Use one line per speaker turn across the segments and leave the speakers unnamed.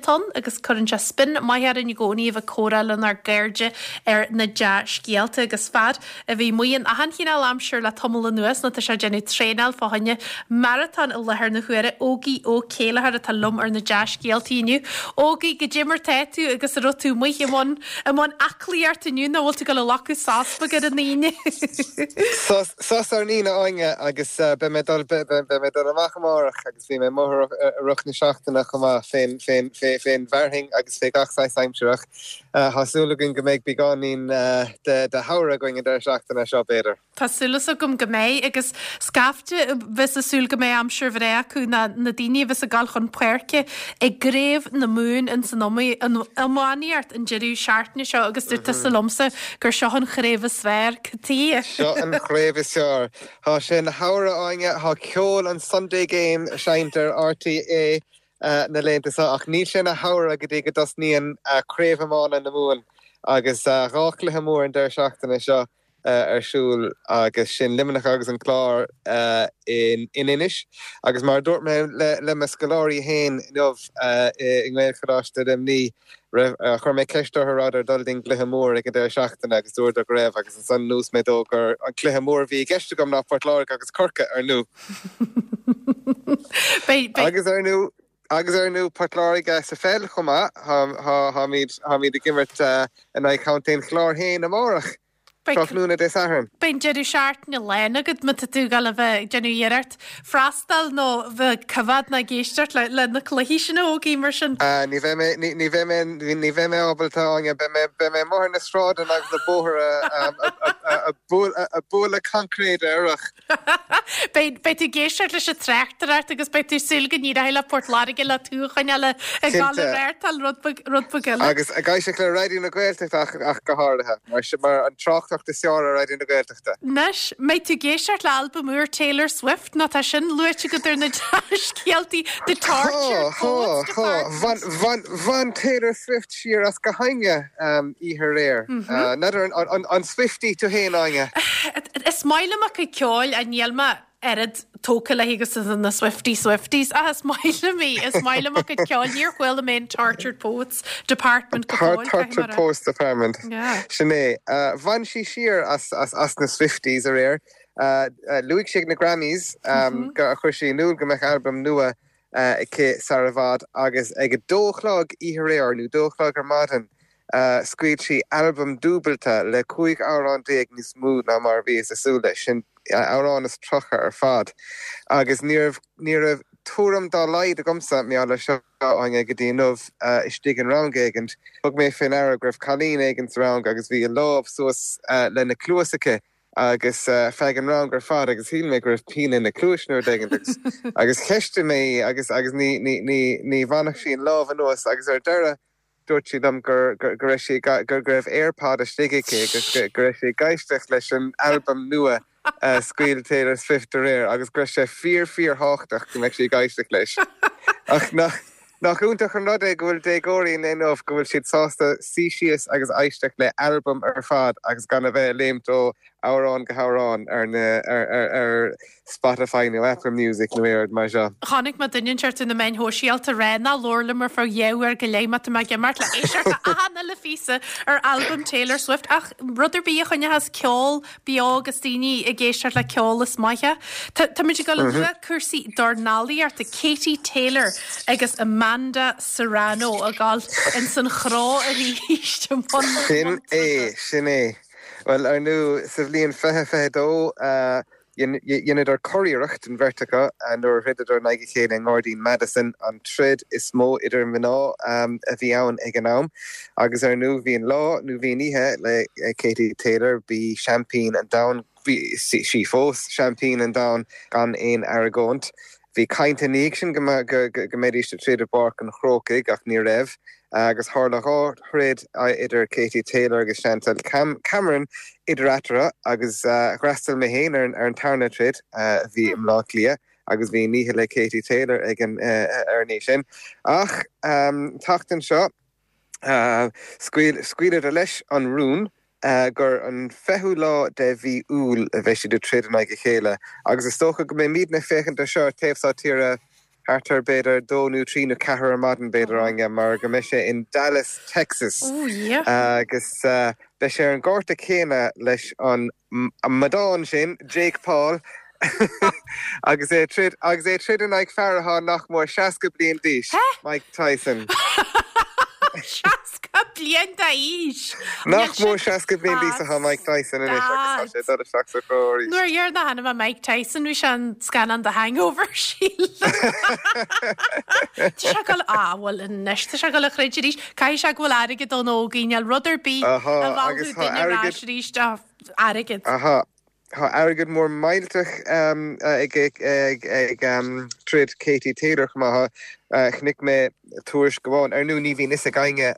atá ann agus cuireann sé spin maith orainn i gcónaí a bheith ag comhrá lenár gcairde ar na dea-scéalta agus fear a bhí amuigh in achan chineál aimsir le tamall anuas nó tá sé ag déanamh traenáil fá choinne maratón i láthair na huaire. Ógie Ó Céilleachair atá liom ar na dea-scéaltaí inniu. Ógie, goidé mar tá tú agus an raibh tú amuigh i mbun i mbun aclaíocht inniu nó bhfuil tú ag dul a ghlacadh sos beag ar an Aoine?
Sos sos ar an Aoine, a Áine, agus beidh mé ag dul beidh mé ag dul amach amárach agus bhí mé amuigh i rith na seachtaine chomh maith fén fén fén bhfearthainn agus fé gach saghas aimsir ach Tá súil againn go mbeidh beagáinín de shamhradh againn an deireadh seachtaine seo, b'fhéidir.
Tá súil agam go mbeidh, agus scaifte a bheas ag súil go mbeidh aimsir bhreá acu ná na daoine a bheas ag dul chun páirce i gCraobh na Mumhan ins an iománaíocht an deireadh seachtaine seo agus dúirt tusa liomsa gur seo an chraobh is fearr. Cad
tuighe? Seo an chraobh is fearr. Tá sé ina shamhradh, a Áine, tá ceol an Sunday Game seinnte ar RTÉ na laethanta seo ach níl sé ina shamhradh go dtí go dtosnaíonn Craobh Iomána na Mumhan agus 2 chluiche mór an deireadh seachtaine seo ar siúl agus sin Luimneach agus an Clár in Inis agus mar a dúirt mé le mo scoláirí féin inniu i nGaelcholáiste Luimnigh chuir mé ceist orthu rabhadar ag dul don gcluiche mór ag an deireadh seachtaine agus dúradar go raibh agus ansan luaigh mé dóibh gur an cluiche mór a bhí i gceist agam ná Port Láirge agus Corcaigh ar ndú. Agus ar ndú, agus ar ndú Port Láirge sa pheil chomh maith, táimid, táimid ag imirt in aghaidh Chontae an Chláir féin amárach, tráthnóna Dé Sathairn.
Beidh an deireadh seachtaine lán agat má tá tú ag dul a bheith ag déanamh iarracht freastal nó bheith ag coimhéad nó ag éisteacht le, le na cluichí sin a Ógie mar sin.
Ní bheidh mé, ní, ní bheidh mé, ní bheidh mé ábalta, Áine, beidh mé, beidh mé amuigh ar na sráideanna agus na bóithre ag bualadh coincréide orthu.
Beidh tú ag éisteacht leis an tráchtaireacht agus beidh tú ag súil go n-éireoidh le Port Láirge le tú a choinneáil ag dul ag reáchtáil rud beag rud beag eile.
Agus ag éisteacht le Raidió na Gaeltachta ach go háirithe, mar sin mar an tráchtaireacht is fearr ar Raidió na Gaeltachta.
Anois, mbeidh tú ag éisteacht le albam úr Taylor Swift nó tá sin luaite agat ar na dea-scéaltaí The Tortured Poets
Department. Bhain, bhain Taylor Swift siar as gach éinne oíche aréir. N'fheadar an Swiftie tú féin, Áine?
Is maith liom a cuid ceoil ach níl mé oiread tógtha léi agus na Swiftie Swifties. Ach is maith liom í, is maith liom a cuid ceoil. Níor chuala mé an Tortured Poets Department go
fóill, caithfidh mé a rá. Tortured Poets Department. Sin é. Bhain sí siar as na Swifties aréir. Luaigh sí ag na Grammys gur chuir sí in iúl go mbeadh albam nua aici sar i bhfad agus ag a dó a chlog oíche aréir, nó dó a chlog ar maidin, scaoil sí albam dúbailte le 15 amhrán níos mó ná mar a bhíothas ag súil leis, sin amhrán is 30 ar fad. Agus ní raibh, ní raibh tuairim dá laghad agamsa, mar gheall air seo, Áine, go dtí inniu, istigh in rang éigint, thug mé fé ndeara go raibh cailín éigin sa rang agus bhí a lámh suas lena cluas aici agus feadh an rang ar fad agus shíl mé go raibh pian ina cluais nó rud éigin agus agus cheistigh mé í agus agus ní ní ní ní bhainfeadh sí an lámh anuas agus ar deireadh dúirt sí liom gur gur go raibh sí gur go raibh AirPod istigh aici agus go go raibh sí ag éisteacht leis an albam nua a scaoil Taylor Swift aréir agus go raibh sé fíor fíor thábhachtach go mbeadh sí ag éisteacht leis. Ach nach Nach iontach an rud é go bhfuil déagóirí an lae inniu, go bhfuil siad sásta suí síos agus éisteacht le albam ar fad agus gan a bheith ag léimt ó amhrán go hamhrán ar na ar Spotify nó Apple Music nó aon rud mar seo.
Chonaic mé duine inteacht ar na meáin shóisialta ag rá ná labhair liom ar feadh dhá uair go leith má tá mé ag imeacht le éisteacht le achan uile phíosa ar albam Taylor Swift ach rud ar bith a choinneochas ceol beo agus daoine ag éisteacht le ceol is maith é. Tá muid ag dul a lua cúrsaí dornálaíochta, Katie Taylor agus Amanda Serrano ag dul ins an chró arís
i mbun Sin é, sin é. Bhuel, ar ndú, sa bhliain 2022, dheineadar curiarracht, an bheirt acu, nuair a throideadar in aghaidh a chéile i nGairdín Madison, an troid is mó idir mná a bhí ann ag an am. Agus ar ndú, bhí an lá, nó bhí an oíche, le Katie Taylor, b'í seaimpín an domhain, bhí sí fós seaimpín an domhain gan aon argóint. Bhí caint ina dhiaidh sin go mbeidís ag troid i bPáirc an Chrócaigh ach ní raibh agus tharla 2 throid idir Katie Taylor agus Chantelle Cameron idir eatarthu agus d'fhreastail mé féin ar an tarna troid a bhí i mBleá Cliath agus bhí an oíche le Katie Taylor ag an ar an oíche sin. Ach an tseachtain seo scaoileadar leis an rún gur an 20ú lá de mhí Iúil a bheidh siad ag troid in aghaidh a chéile agus is dócha go mbeimidne ag féachaint air seo ar taobh seo tíre. thart ar b'fhéidir 2 nó 3 nó 4 ar maidin b'fhéidir Áine mar go mbeidh sé in Dallas, Texas agus beidh sé ar an gcárta céanna leis an amadán sin, Jake Paul, agus é ag troid agus é ag troid in aghaidh fear atá nach mór 60 bliain d'aois, Mike Tyson.
60 bliain d'aois!
Nach mór 60 bliain d'aois atá Mike Tyson anois agus tá sé ag dul isteach sa chró arís.
Nuair a dheireanach a chonaic mé Mike Tyson bhí sé in scannán The Hangover, sílim. Tá sé ag dul, á bhuel anois tá sé ag dul a throid arís. Caithfidh sé go bhfuil airgead ann a Ógie, níl rud ar bith a mheallfadh duine ar ais arís ach airgead.
Aha, tá airgead mór millteach ag troid Katie Taylor chomh maith. Chonaic mé tuairisc amháin, ar ndóigh ní bhíonn fhios ag éinne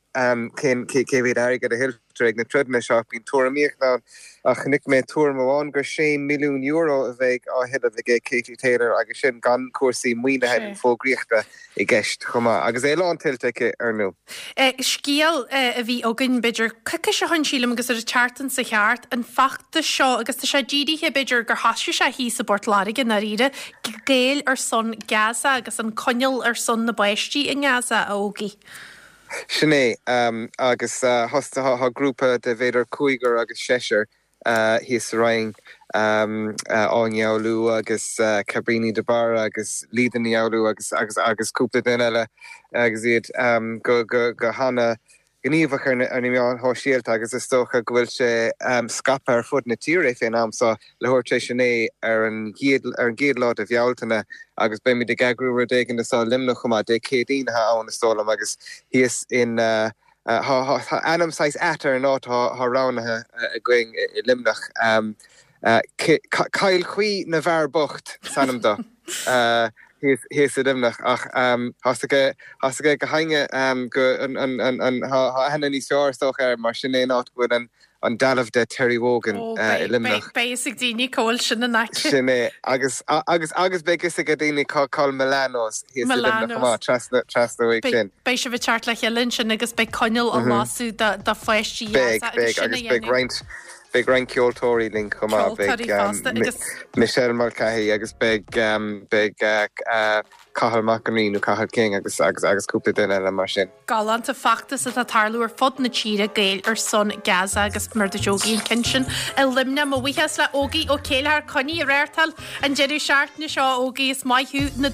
cén cé mhéad airgead a thuilltear ag na troideanna seo ach bíonn tuairimíocht ann. Ach chonaic mé tuairim amháin gur €6 milliún a bheidh á thuilleamh aige Katie Taylor agus sin gan cúrsaí maoinithe nó fógraíochta. i gceist chomh maith, agus é lántuillte aici, ar ndóigh.
Scéal a bhí againn, b'fhéidir, coicís ó shin, sílim, agus ar an tseachtain seo thart, an feachtas seo, agus tá sé dírithe, b'fhéidir, gur thosaigh sé thíos i bPort Láirge, i ndáiríre, Gaeil ar son Gaza agus an coinneal ar son na bpáistí i nGaza, a Ógie.
Sin é, agus tá grúpa de b'fhéidir cúigear agus seisear thíos sa Rinn, Áine Ní Fhoghlú agus Cabríní de Barra agus Lída Ní Fhoghlú agus agus agus cúpla duine eile agus iad go go go hana ghníomhach ar na meáin shóisialta agus is dócha go bhfuil sé scaipthe ar fud na tíre fén am seo leathuair tar éis a 9 ar an gcéad ar an gcéad lá de Bhealtaine agus beimid ag eagrú rud éigin anso i Luimneach chomh maith, Dé Céadaoin atá ann is dóigh liom agus thíos in Tá ainm saghas ait ar an áit atá roghnaithe againn i Luimneach. Cill Chaoi na bhFear Bocht is ainm dó thíos i Luimneach ach tá's ag gach éinne go tá aithne níos fearr is dócha air mar sin é an áit go bhfuil an an dealbh de Terry Wogan i Luimneach.
Beidh fhios ag daoine cá bhfuil sin in aice.
Sin é. Agus, agus, agus beidh fhios ag daoine cá bhfuil Milano's thíos i Luimneach chomh maith, trasna, trasna uaidh sin.
Beidh sibh ag teacht le chéile ansin agus beidh coinneal á lasadh do, do pháistí
Beidh, beidh, agus beidh roinnt, beidh roinnt ceoltóirí linn chomh maith.
Ceoltóirí fosta agus.
Michelle Mulcahy agus beidh, beidh Cathal Mac an Rí nó Cathal King agus, agus, agus cúpla duine eile mar sin.
Galánta feachtas atá ag tarlú ar fud na tíre, Gaeil ar son Gaza agus mar a dúirt Ógie an ceann sin i Luimneach. Mo bhuíochas le Ógie Ó Céilleachair coinnigh ag reáchtáil an deireadh seachtaine seo Ógie is maith thú na.